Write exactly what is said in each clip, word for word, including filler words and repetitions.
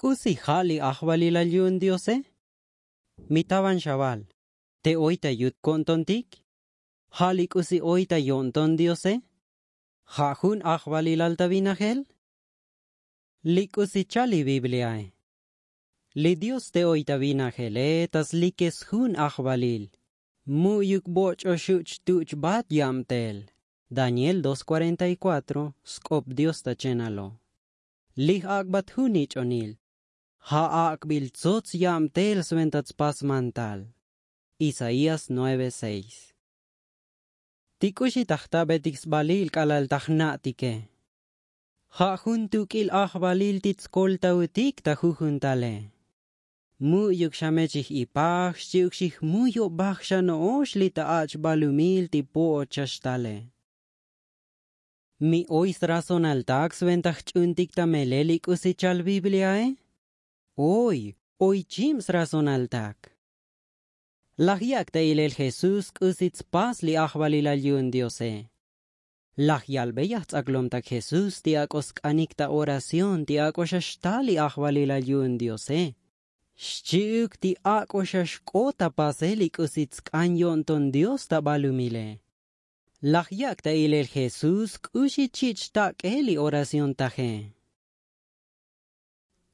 K'usi ja' li ajvalilal yu'un diose? Mi tavan xaval, te oy ta yut ko'ntontik? Ja' li k'usi oy ta yo'nton diose? Ja' jun ajvalilal ta vinajel? Li k'usi chal li bibliae. Li dios te oy ta vinajele ta slikes jun ajvalil. Mu'yuk boch'o xuch' tuch' vat yabtel. Daniel dos cuarenta y cuatro. Sk'op dios ta chenalo. Lij ak'bat jun nich'onil. Ja' ak'bil tsots yabtel sventa tspas mantal. Isaías nueve seis. Ti k'uxi ta jtabetik sbalil k'alal ta jna'tike? Ja' jun tuk'il ajvalil ti tskoltaotik ta jujuntale. Mu'yuk xa me chij ipaj xchi'uk xijmuyobaj xa no'ox li ta ach' balumil ti po'ot xa xtale. Mi oy srazonaltak sventa jch'untik ta melel li k'usi chal bibliae? Oy, oy chib srazonaltak. Laj yak' ta ilel jesús k'usi tspas li ajvalilal yu'un diose. Laj yalbey ajts'aklomtak jesús ti ak'o sk'anik ta oración ti ak'o xa xtal li ajvalilal yu'un diose. Xchi'uk ti ak'o xa xk'ot ta pasel li k'usi tsk'an yo'nton dios ta balumile. Laj yak' ta ilel jesús k'uxi chich' xtak'e li oración taje.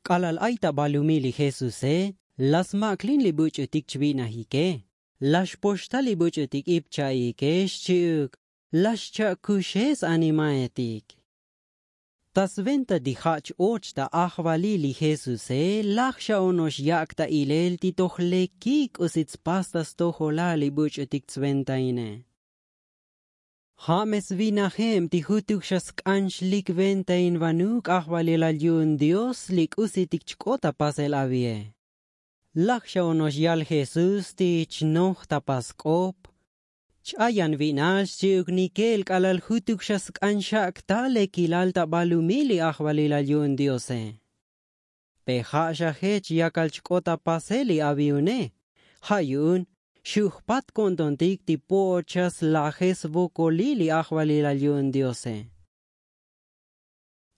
K'alal ay ta balumil li jesuse, laj smak'lin li buch'utik chvinajike. Laj xpoxta li buch'utik ip cha'ike xchi'uk. Laj xcha'kuxe s-animaetik. Ta sventa ti ja' ch-och ta ajvalil li jesuse laj xa ono'ox yak' ta ilel ti toj lekik k'usi tspas ta stojolal li buch'utik tsventaine. Ja' me svinajeb ti jutuk xa sk'an xlik ventainvanuk ajvalilal yu'un dios li k'usitik chk'ot ta pasel avie. Laj xa ono'ox yal jesús ti chnoj ta pask'op. Ch-ayan vinal xchi'uk nikel k'alal jutuk xa sk'an xak' ta lekilal ta balumil li ajvalilal yu'un diose. Pe ja' xa jech yakal chk'ot ta pasel li avi une. Ja' yu'un xu' jpat ko'ntontik ti po'ot xa slaje svokolil li ajvalilal yu'un diose.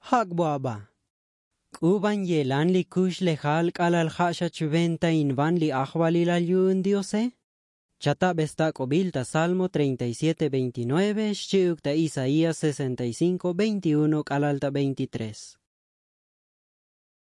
Jak'bo aba. K'u van yelan li kuxlejal k'alal ja' xa chventainvan li ajvalilal yu'un diose? Chatabe stak'obil ta salmo treinta y siete veintinueve xchi'uk ta isaías sesenta y cinco veintiuno k'alal ta veintitrés.